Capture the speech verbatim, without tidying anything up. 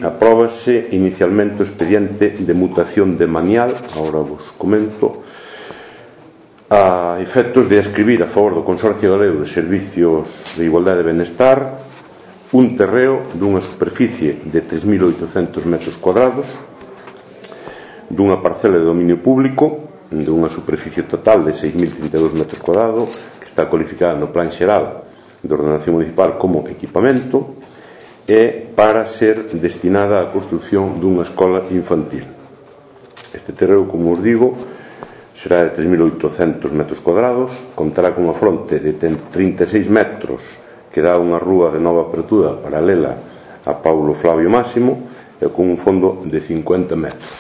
apróbase inicialmente o expediente de mutación de manial, agora vos comento, a efectos de escribir a favor do Consorcio Galego de Servicios de Igualdade e Benestar un terreo dunha superficie de tres mil oitocentos metros cuadrados, dunha parcela de dominio público dunha superficie total de seis mil trinta e dous metros cuadrados, que está cualificada no Plan Xeral de Ordenación Municipal como equipamento, e para ser destinada á construción dunha escola infantil. Este terreo, como os digo, será de tres mil oitocentos metros cuadrados, contará cunha fronte de trinta e seis metros que dá unha rúa de nova apertura paralela a Paulo Flavio Máximo e con un fondo de cincuenta metros.